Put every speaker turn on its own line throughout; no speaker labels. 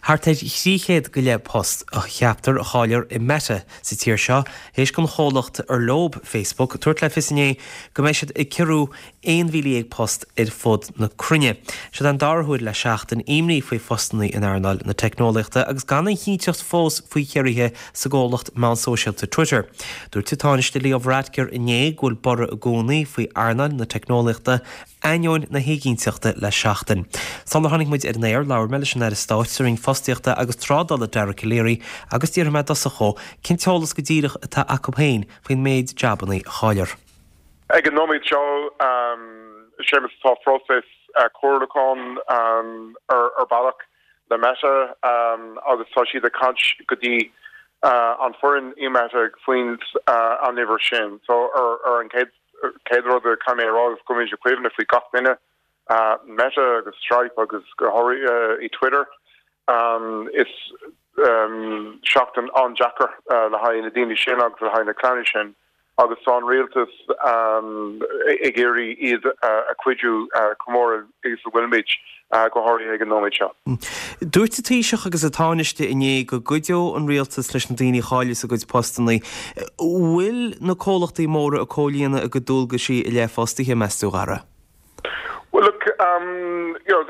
Thart ar 300 go leith post a cheaptar a chaillfear i Meta sa tír seo théis don chomhlacht ar leob Facebook tabhairt le fios inné go mbeidh siad ag ciorrú 11,000 post ar fud na cruinne. Siod an dara huair le seachtain imní faoi phostanna in earnáil na teicneolaíochta agus gan aon chinnteacht fós faoi chiorruithe sa gcomhlacht meán sóisialta Twitter. Dúirt an Tánaiste Leo Varadkar inné go bhfuil borradh i gcónaí faoi earnáil na teicneolaíochta ainneoin na héiginnteachta le seachtain. Sular tháinig muid ar an aer, labhair mé leis an Aire Stáit sa Roinn Fostaíochta agus Trádála Dara Calleary agus d'fhiafraigh mé i dtosach dhó cén t-eolas go díreach atá acu féin faoin méid jabannaí a chaillfear.
Ag an nóiméad seo, Séamus, tá phróiseas comhairliúcháin ar bealach le Meta agus tá siad ag caint go dtí an foireann i Meta faoin an uimhir sin. So ar an chéad chéad rud a caithfidh mé a rá is go bhfuilimid ag cuimhneamh faoi gach duine, Meta agus Stripe agus go háirithe i Twitter. Is seachtain an-deacair le haghaidh na daoine sin agus le haghaidh na clanna sin agus tá an rialtas ag iarraidh iad a chuidiú chomh mór is a bhfuilimid, go háirithe ag an nóiméad seo.
Dúirt an Taoiseach agus an Tánaiste inné go gcuideodh an rialtas leis na daoine a chaillfeas a gcuid postanna. Bhfuil na comhlachtaí móra ag comhlíonadh a gcuid dualgaisí i leith fostaithe, meas tú, a Dhara?
Well look, you know,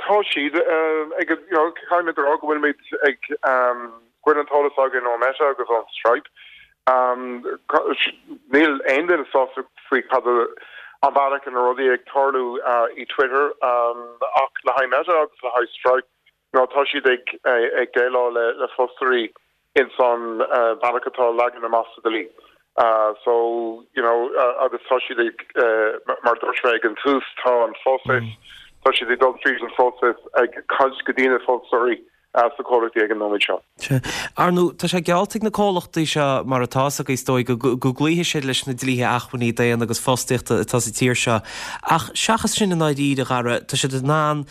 tá siad ag, you know, caithfidh mé a rá go bhfuilimid ag, go bhfuil an t-eolas againn ó Meta agus ó Stripe. Níl aon duine sásta faoi cad an bealach ina rudaí ag tarlú i Twitter ach le haghaidh Meta agus le haghaidh Stripe, you know, tá siad ag ag déileáil le le fostóirí ins an bealach atá leagan amach sa dlí. So, you know, agus tá siad ag, mar a dúirt mé ag an tús, tá an phróiseas, tá siad ag dul tríd an phróiseas ag caint go dtí na fostóirí sna comhlachtaí ag an nóiméad seo.
Sea. Ar ndóigh, tá sé geallta ag na comhlachtaí seo, mar atá a fhios agaibh is dóigh, go gcloífidh siad leis na dlíthe acmhainní daonna agus fostaíochta atá sa tír seo. Ach seachas sin i ndáiríre, a Dhara, tá siad in ann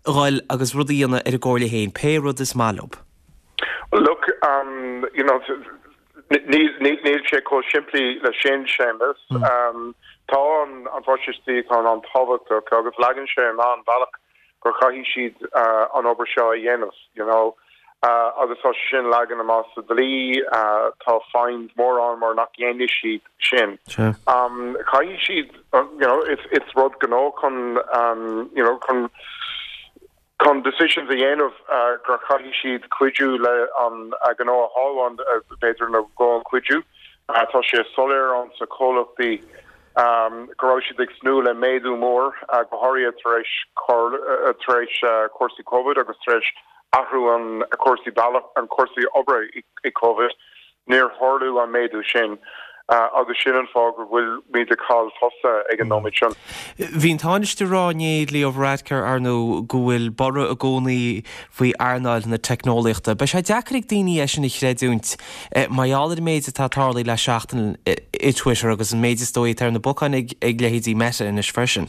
a dhul agus rud a dhéanamh ar a gcomhairle féin, pé rud is maith leo.
Look, you know, níl sé chomh simplí le sin, Séamus. Tá an próiseas dlí an-tábhachtach agus leagann sé amach an bealach gur chaithfidh siad an obair seo a dhéanamh, you know. Agus tá sé sin leagan amach sa dlí, tá fines mór ann mar nach dhéanfaidh siad sin. Caithfidh siad, you know, it's rud gnó chun, you know, chun chun decisions a dhéanamh gur chaithfidh siad cuidiú le an gnó a shábháil, b'fhéidir nó go an cuidiú. Tá sé soiléir ann sa chomhlachtaí go raibh siad ag tnúth le méadú mór, go háirithe tar éis tar éis cúrsaí Covid agus tar éis athrú an cúrsaí bealach an cúrsaí oibre i Covid. Níor tharlú an méadú sin agus sin an fáth go bhfuilimid ag cailleadh fostaithe ag an nóiméad sin.
Bhí an Tánaiste ag rá inné, Leo Varadkar, ar ndóigh, go bhfuil borradh i gcónaí faoi earnáil na teicneolaíochta. Beidh sé deacair ag daoine é sin a chreidiúint mar gheall ar an méid atá tarlaithe le seachtain i Twitter agus an méid is dóigh atá ar na bacáin ag leithéidí Meta anois freisin.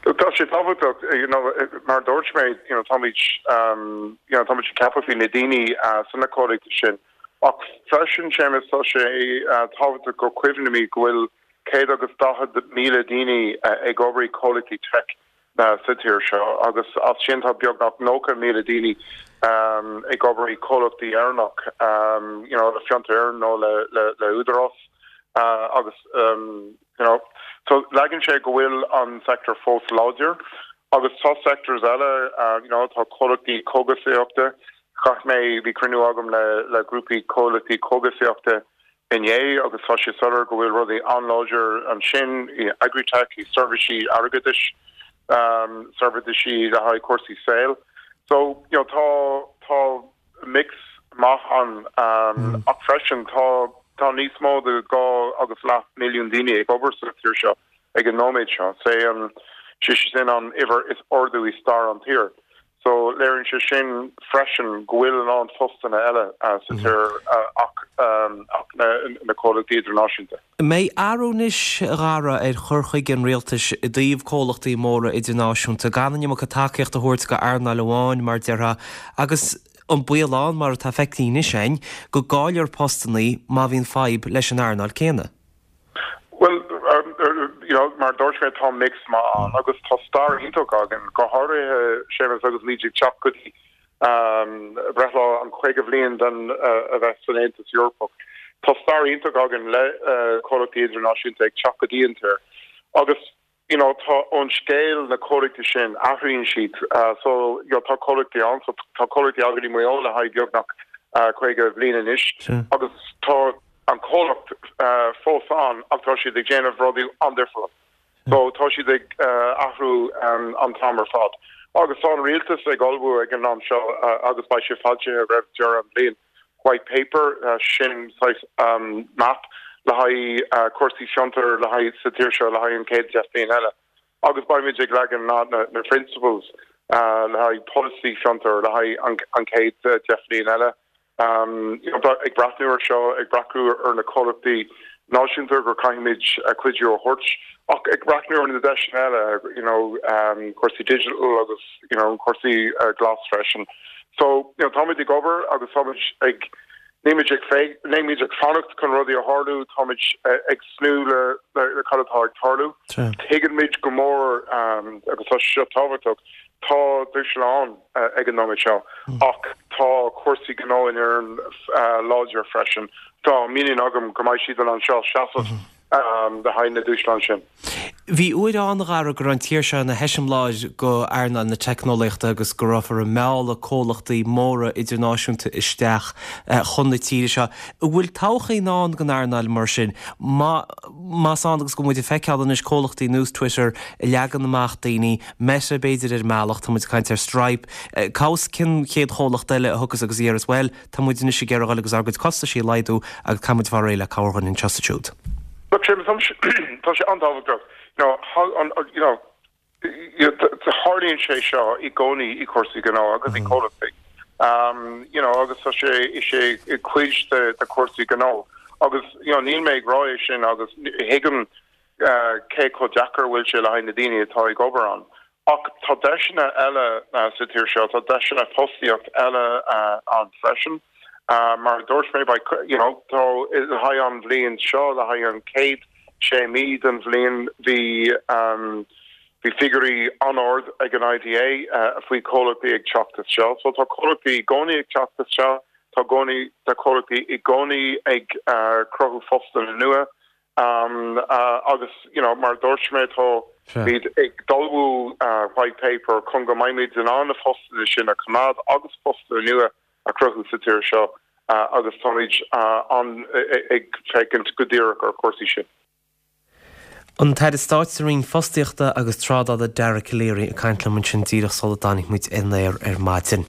Look, tá sé tábhachtach, you know, mar a dúirt mé, you know, táimid, you know, táimid ag ceapadh faoi na daoine sna comhlachtaí sin. Ach freisin, Séamus, tá sé tábhachtach go cuimhnimid go bhfuil 140,000 daoine ag obair i comhlachtaí tech sa tír seo agus as sin tá beagnach 90,000 daoine ag obair i comhlachtaí Éireannach, you know, le Fiontar Éireann nó le le Údarás agus you know, so leagann sé go bhfuil an sector fós láidir agus tá sectors eile, you know, tá comhlachtaí cógasaíochta, Chaith mé, bhí cruinniú agam le le grúpaí comhlachtaí cógasaíochta inné agus tá sé soiléir go bhfuil rudaí an-láidir ansin i agritech, i seirbhísí airgeadais, seirbhísí le haghaidh cúrsaí saoil. So, you know, tá tá mix maith ann ach freisin tá tá níos mó de 2 agus leath milliún daoine ag obair sa tír seo. ag an nóiméad seo. Sé an sé sin an uimhir is ardú i stair an tír. So léiríonn sé sin freisin go bhfuil a lán postanna eile sa tír ach ach na comhlachtaí idirnáisiúnta.
An mbeidh athrú anois, a Dhara, ar chur chuige an rialtais i dtaobh comhlachtaí móra idirnáisiúnta, gan an iomarca tacaíocht a thabhairt go earnáil amháin, mar déarfá, agus an baol ann, mar atá feicthe anois againn, go gcaillfear postannaí má bhíonn fadhb leis an earnáil céanna?
Bhuel, you know, mar a dúirt mé, tá mix maith ann agus tá stair iontach againn, go háirithe, Séamus, agus muid ag teacht go dtí. Breithlá an 50 bhliain den a bheith san Aontas Eorpach. Tá stair iontach againn le comhlachtaí idirnáisiúnta ag teacht go dtí an tír agus you know tá an scéal na comhlachtaí sin, athraíonn siad so you know tá comhlachtaí ann so tá comhlachtaí againn i Maigh Eo le haghaidh beagnach 50 bhliain anois agus tá an comhlacht fós ann ach tá siad ag déanamh rudaí an-difriúil. So tá siad ag athrú an t-am ar fad. Agus tá an rialtas ag ullmhú ag an am seo agus beidh sé foilsithe roimh deireadh an bhliain, white paper, sin saghas map le haghaidh cúrsaí fiontair le haghaidh sa tír seo le haghaidh an chéad 10 bliain eile. Agus beimid ag leagan na na principles le haghaidh polasaí fiontair le haghaidh an chéad 10 bliain eile. Ag breathnú ar seo, ag breathnú ar na comhlachtaí náisiúnta gur caithfimid cuidiú a thabhairt, ach ag breathnú ar na deiseanna eile, you know, cúrsaí digital agus, you know, cúrsaí glas freisin. So, you know, táimid ag obair agus táimid ag, nílimid ag fé, nílimid ag fanacht chun rudaí a tharlú, táimid ag tnúth le, le cad atá ag tarlú. Tuigimid go mór, agus tá sé seo tábhachtach, Tá dúshláin ag an nóiméad seo ach tá cúrsaí gnó in Éirinn láidir freisin. Tá muinín agam go mbeidh siad in ann seo seasamh le haghaidh na dúshláin sin.
Bhí uair ann, a Dhara, go raibh an tír seo ina heiseamláir go earnáil na teicneolaíochta agus go rabhthar ag mealladh comhlachtaí móra idirnáisiúnta isteach chun na tíre seo. An bhfuil todhchaí i ndán don earnáil mar sin? Más ann agus go bhfuil muid ag feiceáil anois comhlachtaí nós Twitter ag leagan amach daoine, Meta, b'fhéidir, ar an mbealach, tá muid ag caint ar Stripe. Cá bhfios cén chéad chomhlacht eile a thiocfas agus a dhéarfas, bhuel, tá muid anois ag iarraidh dhul agus ár gcuid costaisí a laghdú agus caithfidh muid fáil réidh le cabhair dhuine anseo is ansiúd.
Look, Séamus, tá sé an-tábhachtach, you know, you know, tarlaíonn sé seo i gcónaí i cúrsaí gnó agus i comhlachtaí, you know, agus tá sé, is é cuid de de chúrsaí gnó agus, you know, níl mé ag rá é sin agus thuigim cé chomh deacair a bhfuil sé le haghaidh na daoine atá ag obair ann. Ach tá deiseanna eile sa tír seo, tá deiseanna fostaíocht eile ann freisin. Mar a dúirt mé, beidh, you know, tá le haghaidh an bhliain seo, le haghaidh an chéad sé mí den bhliain, bhí bhí figiúirí an-ard ag an IDA faoi chomhlachtaí ag teacht isteach. So tá comhlachtaí i gcónaí ag teacht isteach, tá gcónaí, tá comhlachtaí i gcónaí ag cruthú postanna nua. Agus, you know, mar a dúirt mé, táimid ag ullmhú white paper chun go mbeimid in ann na postanna sin a choimeád agus postanna nua a chruthú sa tír seo agus táimid an ag féachaint go díreach ar chúrsaí sin.
An tAire Stáit sa Roinn Fostaíochta agus Trádála Dara Calleary ag caint liom ansin díreach sula dtáinig muid ar an aer ar maidin.